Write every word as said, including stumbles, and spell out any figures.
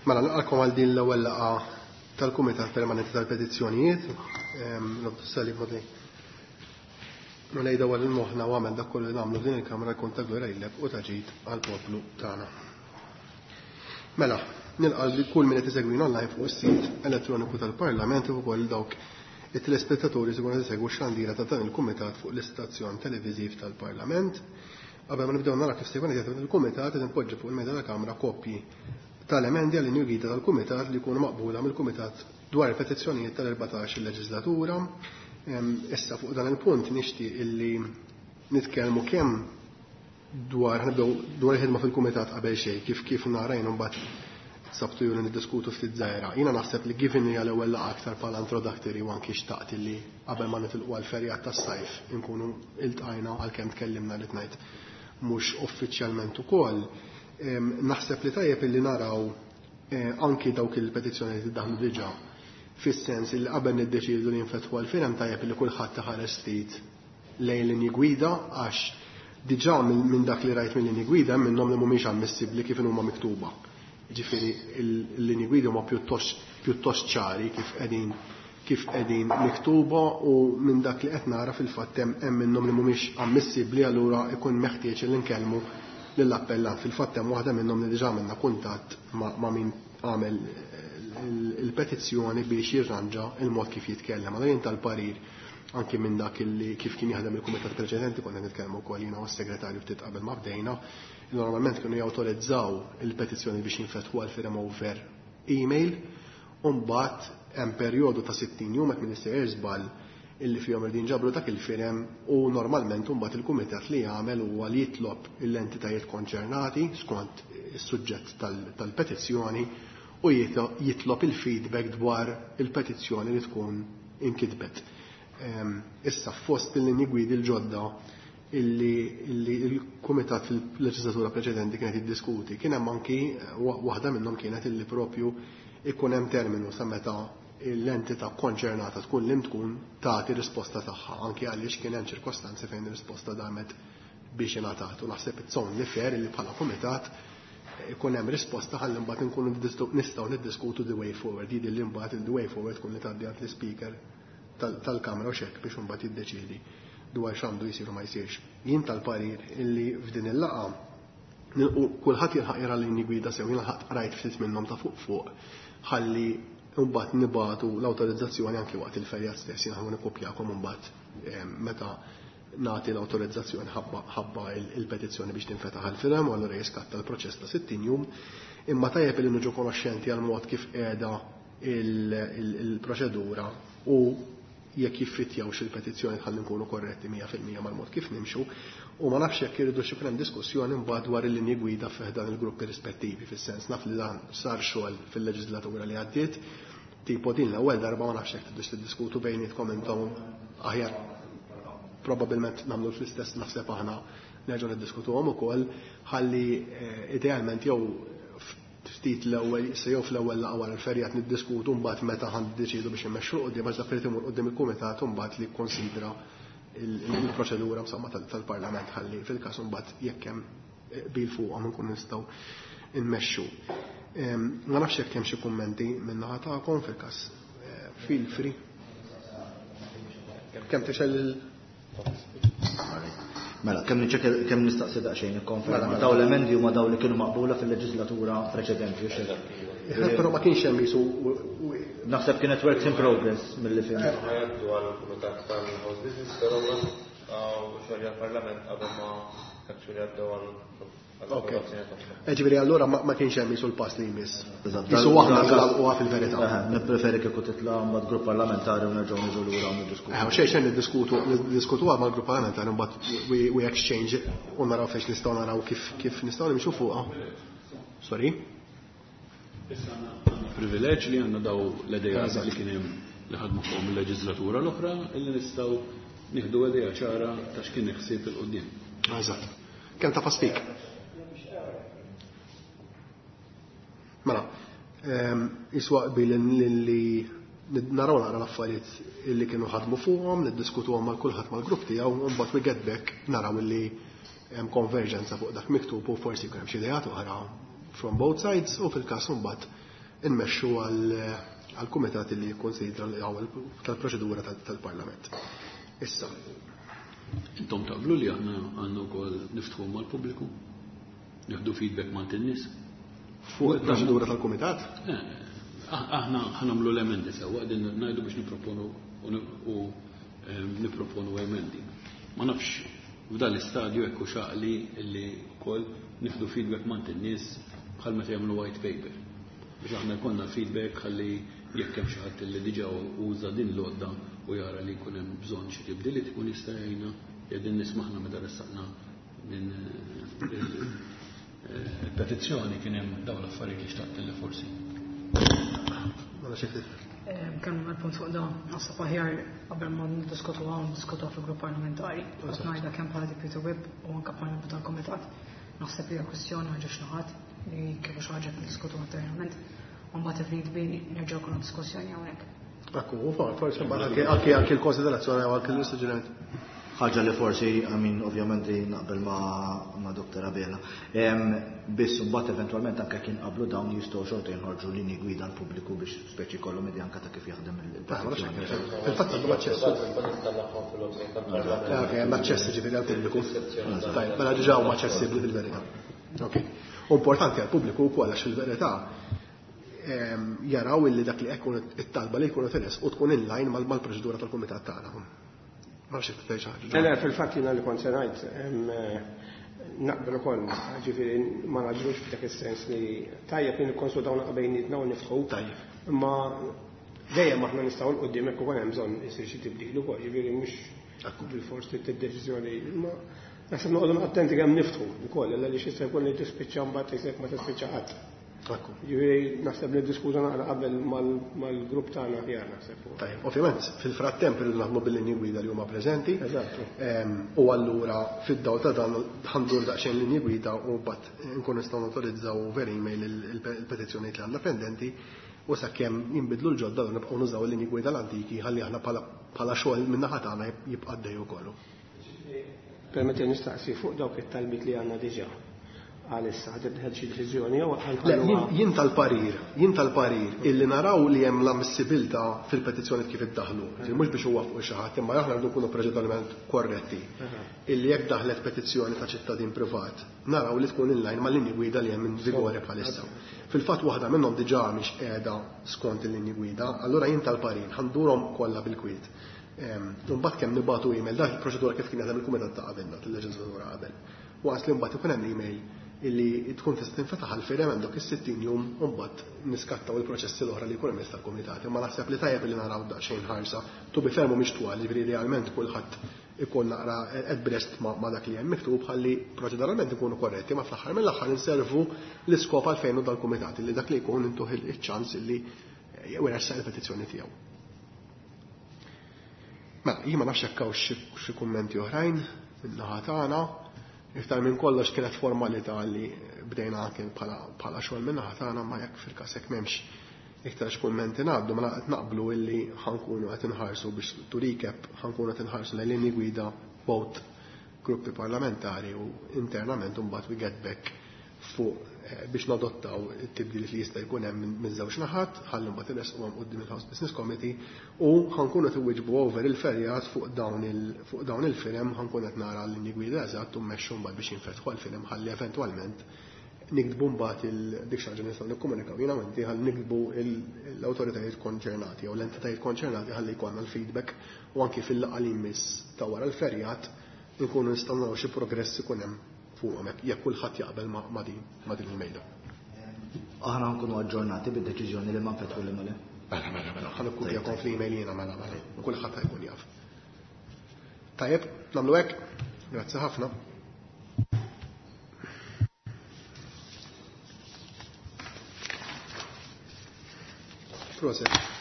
Mela, nilqakom għal din l-ewwel laqgħa tal-Kumitat Permanenti tal-Petizzjonijiet. Nobdu s-salib modli. Mulej dawwal il-moħħna u għamel dak kollu li nagħmlu f'din il-Kamra jkun ta' glorja lilek u ta' ġid għall-poplu tagħna. Mela, nilqa' li kull min qed isegwina online fuq is-sit elettroniku tal-Parlament u ukoll dawk it-telespettaturi se jkunu qed isegwu x-xandira ta' dan il-Kumitat fuq l-istazzjon televiżiv tal-Parlament. Qabel ma nibdew nara kif se jkun qed jaħdem il-Kumitat, qed inpoġġi fuq il-mejda tal-Kamra kopji tal-emendi għal linji gwida tal-Kumitat li jkunu maqbula mill-Kumitat dwar il-petizzjonijiet tal-erbatax il-leġislatura. Issa fuq dan il-punt nixtieq illi nitkellmu kemm dwar nibdew dwar il-ħidma fil-Kumitat qabel xejn, kif kif narajn mbagħad sabtu ju li niddiskutu ftit żgħira. Jiena naħseb li given li għal-ewwel laqgħa aktar bħala introductory u anki xtaqt li qabel ma nitilqu għall-ferjat tas-sajf inkunu iltqajna, għalkemm tkellimna li tnajt mhux uffiċjalment ukoll. Naħseb li tajjeb illi naraw anki dawk il-petizzjoni li daħlu diġà, fis-sens li qabel niddeċidu li jinfetħu għal-firem, tajjeb li kulħadd iħares ftit lejn linji gwida, għax diġà minn dak li rajt mill-linji gwida minnhom li mhumiex ammissibbli kif huma miktuba. Ġifieri l-linji gwida huma pjuttost pjuttost ċari kif qegħdin kif qegħdin miktuba, u minn dak li qed nara fil-fatt hemm minnhom li mhumiex ammissibbli, allura ikun meħtieġ li nkellmu lill-appellant. Fil-fatt hemm waħda minnhom li diġà għamilna kuntatt ma' min għamel il-petizzjoni biex jirranġa il-mod kif jitkellem. Allura jien tal-parir anki minn dak li kif kien jaħdem il-kumitat preċedenti, konna nitkellmu wkoll jiena u s-segretarju ftit qabel ma bdejna, normalment kienu jawtorizzaw il-petizzjoni biex jinfetħu għal firem over email, u mbagħad hemm perjodu ta' sittin jum hekk minister żball illi fihom irdin ġabru dak il-firem, u normalment mbagħad il-kumitat li jagħmel huwa li jitlob l-entitajiet konċernati skont is-suġġett tal-petizzjoni u jitlob il-feedback dwar il-petizzjoni li tkun inkitbet. Issa fost il-linji gwidi l-ġodda illi il-kumitat fil-leġislatura preċedenti kienet jiddiskuti, kien hemm anki waħda minnhom kienet illi propju ikun hemm terminu sa meta l-entità konċernata tkun li tkun tagħti risposta tagħha, anki għaliex kien hemm ċirkostanzi fejn ir-risposta damet biex ingħatat. U naħseb it's only fair li bħala kumitat ikun hemm risposta ħalli mbagħad inkunu nistgħu niddiskutu the way forward. Jidher li mbagħad il-the way forward tkun li tgħaddi għand l-ispeaker tal-Kamra u xek biex imbagħad jiddeċiedi dwar x'għandu jsir u ma jsirx. Jien tal-parir illi f'din il-laqgħa kulħadd jilħaq jara l-linji gwida sew, jien ħadd rajt ftit minnhom ta' fuq fuq, ħalli mbagħad nibatu l-awtorizzazzjoni anki waqt il-ferjat stess, jien ħa nikkopjakom imbagħad meta nagħti l-awtorizzazzjoni ħabba il-petizzjoni biex tinfetaħ għal-firem, u allura jiskatta l-proċess ta' sittin jum. Imma tajjeb li niġu konoxxenti għal mod kif qiegħda il-proċedura u jekk jiffittjawx il-petizzjoni ħalli nkunu korretti mija fil-mija mal-mod kif nimxu, u ma nafx jekk irridu xi hemm diskussjoni mbagħad dwar il-linji gwida fih dan il-gruppi rispettivi, fis-sens naf li dan sar xogħol fil-leġislatura li għaddiet, tipo din l-ewwel darba ma nafx jekk tridux tiddiskutu bejnietkom intom aħjar, probabbilment nagħmlu fl-istess naħseb aħna nerġgħu niddiskutuhom ukoll, ħalli idealment jew ftit l-ewwel se jew fl-ewwel laqgħa wara l-ferjat niddiskutu mbagħad meta ħan niddeċiedu biex immexxu quddiem, għax dak li imur quddiem il-kumitat mbagħad li kkonsidra il-proċedura insomma tal-Parlament, ħalli fil-każ mbagħad jekk hemm bil fuqhom nkunu nistgħu nmexxu. Ma nafx jekk hemm xi kummenti min-naħa tagħkom, fil-każ feel free. Kemm tixel il Mela, kemm niċċekkja, kemm nistaqsi daqsxejn ikkonferma. Daw l-emendi huma daw li kienu maqbula fil-leġislatura preċedenti, u xejn. Però ma kienx hemm jisu Naħseb kienet works in progress milli fim. Għaddu għall-Kumitat tal-House Business, però xogħol għall-Parlament qabel ma actually għaddew għal Ok. Ġifieri allura ma kienx hemm jisu l-pass li jmiss. Eżatt. Jisu aħna nagħlquha fil-verità. Nippreferi kieku titla' mbagħad grupp parlamentari u nerġgħu niġu lura u niddiskutu. Eh, xejn xejn niddiskutu, niddiskutuha mal-grupp parlamentari mbagħad we, we exchange u naraw fejn nistgħu naraw kif kif nistgħu nimxu fuqha. Sorry. Issa għandna privileġġ li għandna daw l-idejat li kien hemm li ħadmu fuqhom il-leġislatura l-oħra illi nistgħu nieħdu idea ċara ta' x'kien ħsieb il-qudiem. Eżatt. Kemm ta' speak? Mela, jiswa qbil li naraw naqra l-affarijiet illi kienu ħadmu fuqhom, niddiskutuhom mal kulħadd mal-grupp tiegħu, u mbagħad we get back naraw illi hemm konverġenza fuq dak miktub u forsi jkun hemm xi ideat oħra from both sides, u fil-każ mbagħad nmexxu għall-kumitat li jikkonsidra l-ewwel tal-proċedura tal-Parlament. Issa. Intom taqblu li aħna għandna wkoll niftħu mal-pubbliku? Nieħdu feedback ma' in-nies? Fuq il-proċedura tal-kumitat? Aħna ħanamlu l-emendi sewwa qegħdin ngħidu biex nipproponu u nipproponu emendi. Ma nafx f'dan l-istadju hekk hux għaqli li wkoll nieħdu feedback ma' in-nies bħal meta jagħmlu white paper. Biex aħna jkollna feedback ħalli jekk hemm xi ħadd li diġà uża din l-għodda u jara li jkun hemm bżonn xi tibdiliet ikun jista' jgħinna qegħdin nismaħna meta ressaqna din il-petizzjoni kien hemm dawn l-affarijiet li xtaqt li forsi. Kemm għal-punt fuq da, naħseb aħjar qabel ma niddiskutu hawn niddiskutu fil-grupp parlamentari. Qed ngħidha kemm bħala deputy whip u anke bħala membru tal-kumitat. Naħseb li hija kwistjoni ma ġiex naħat li kieku xi ħaġa niddiskutu internament. U mbagħad if need be nerġgħu jkollna diskussjoni hawnhekk. Ekku, forsi mbagħad anke anke l-konsiderazzjoni u anke l-suġġeriment. Ħaġa li forsi, I mean, ovvjament naqbel ma' Doktor Abela. Biss mbagħad eventwalment anke kien qablu dawn jistgħu xorta jinħorġu linji gwida l-pubbliku biex speċi kollhom idea anke ta' kif jaħdem il-petizzjoni. Fil-fatt għandhom aċċess. Ok, hemm aċċess ġifieri għall-pubbliku. Tajjeb, mela diġà huma aċċessibbli fil-verità. Ok. U importanti għall-pubbliku wkoll għax fil-verità jaraw illi dak li jkun it-talba li jkunu teres u tkun in line mal-proċedura tal-kumitat tagħna. Ma nafx jekk tgħid xi ħaġa. Le, fil-fatt jiena li kont se ngħid, naqbel ukoll, ġifieri ma naġrux f'dak is-sens li tajjeb li nikkonsultaw naqra bejnietna u niftħu. Tajjeb. Imma dejjem aħna nistgħu l quddiem jekk ukoll hemm bżonn isir xi tibdil ukoll, ġifieri mhux bil-fors tid-deċiżjoni, imma naħseb noqogħdu attenti kemm niftħu wkoll, għaliex jista' jkun li tispiċċa mbagħad isek ma tispiċċa qatt. Ġifieri naħseb niddiskuta naqra qabel mal-grupp tagħna aħjar naħseb. Tajjeb, ovvjament fil-frattemp irridu naħdmu bil-linji gwida li huma preżenti. Eżattu. U allura fid-dawl ta' dan ħandur daqsxejn linji gwida u mbagħad nkunu nistgħu notorizzaw over email il-petizzjonijiet li għandna pendenti u sakemm jinbidlu l-ġodda u nibqgħu nużaw il-linji gwida l-antiki ħalli aħna bħala xogħol min-naħa tagħna jibqa' għaddej ukoll. Permetti nistaqsi fuq dawk it-talbiet li għandna diġà. Għalissa, ħad tibdel xi deċiżjoni jew Le, jien tal-parir, jien tal-parir illi naraw li hemm l-ammissibilità fil-petizzjoni kif iddaħlu. Mhux biex huwa fuq xi ħadd, imma aħna rridu nkunu proċeduralment korretti. Illi jekk daħlet petizzjoni ta' ċittadin privat, naraw li tkun in line mal-linji gwida li hemm in vigore bħalissa. Fil-fatt waħda minnhom diġà mhix qiegħda skont il-linji gwida, allura jien tal-parir ħandurhom kollha bil-kwiet. Imbagħad kemm nibagħtu email, dak il-proċedura kif kien jaħdem il-kumitat ta' qabilna, tal-leġislatura qabel. Waqt li mbagħad ikun hemm email illi tkun tista' tinfetaħ għall-firem għandok is-sittin jum u mbagħad niskattaw il-proċessi l-oħra li jkun hemm tal-kumitat. Imma naħseb li tajjeb li naraw daqsxejn ħarsa, tu bi fermu mhix twal, jiġifieri idealment kulħadd ikun naqra at breast ma' dak li hemm miktub ħalli proċeduralment ikunu korretti, ma fl-aħħar mill-aħħar inservu l-iskop għalfejn u dal-kumitat illi dak li jkun intuħ iċ-ċans illi jressaq il-petizzjoni tiegħu. Mela, jien ma nafx jekk hawn xi kummenti oħrajn min-naħa tagħna. Iktar minn kollox kienet formalità li bdejna anke bħala xogħol minn naħa tagħna, ma jekk fil-każ hekk m'hemmx iktar x'kummenti ngħaddu, mela qed naqblu illi ħankunu qed inħarsu biex to recap ħankunu qed inħarsu lejn linji gwida both gruppi parlamentari u internament u mbagħad we get back fuq biex nadottaw it-tibdil li jista' jkun hemm minn żewġ naħat, ħalli mbagħad irresquhom quddiem il-House Business Committee u ħankunu qed iwieġbu over il-ferjat fuq dawn il fuq dawn il-firem, ħankun qed nara l-linji gwida eżatt u mmexxu mbagħad biex jinfetħu għall-firem ħalli eventwalment niktbu mbagħad il dik xi ħaġa nistgħu nikkomunikaw jiena u inti ħalli niktbu l-awtoritajiet konċernati jew l-entitajiet konċernati ħalli jkollna l-feedback u anki fil-laqgħa li jmiss ta' wara l-ferjat nkunu nistgħu naraw xi progress ikun hemm fuqhom jekk kulħadd jaqbel ma' din ma' din il-mejda. Aħna nkunu aġġornati bid-deċiżjoni li ma nfetħu li mela. Mela, mela, mela, ħa nikkupjakom fl-email jiena mela, mela, u kulħadd jkun jaf. Tajjeb, nagħmlu hekk. Grazzi ħafna. Proset.